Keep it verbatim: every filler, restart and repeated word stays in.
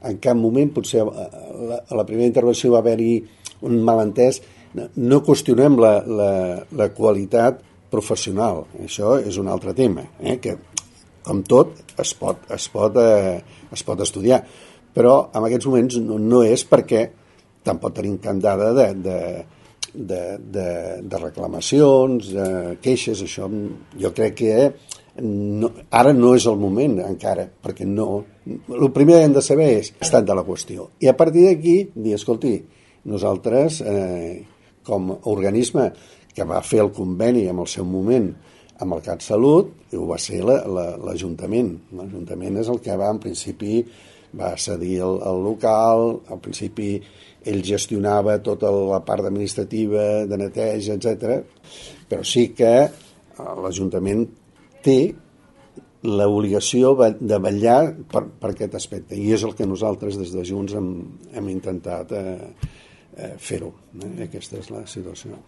en cap moment, potser a la, a la primera intervenció va haver-hi un malentès, no qüestionem la, la, la qualitat professional, això és un altre tema, eh? Que com tot es pot, es pot, eh, es pot estudiar, però en aquests moments no, no és perquè tampoc tenim cap dada de, de, de, de, de reclamacions, de queixes, això jo crec que no, ara no és el moment encara, perquè no, el primer que hem de saber és l'estat de la qüestió, i a partir d'aquí dir, escolti, nosaltres eh, com a organisme que va fer el conveni en el seu moment amb el CatSalut, ho va ser l'Ajuntament. L'Ajuntament és el que va, en principi, va cedir el, el local, al principi ell gestionava tota la part administrativa, de neteja, etcètera. Però sí que l'Ajuntament té l'obligació de vetllar per, per aquest aspecte, i és el que nosaltres des de Junts hem, hem intentat eh, eh, fer-ho. Eh? Aquesta és la situació.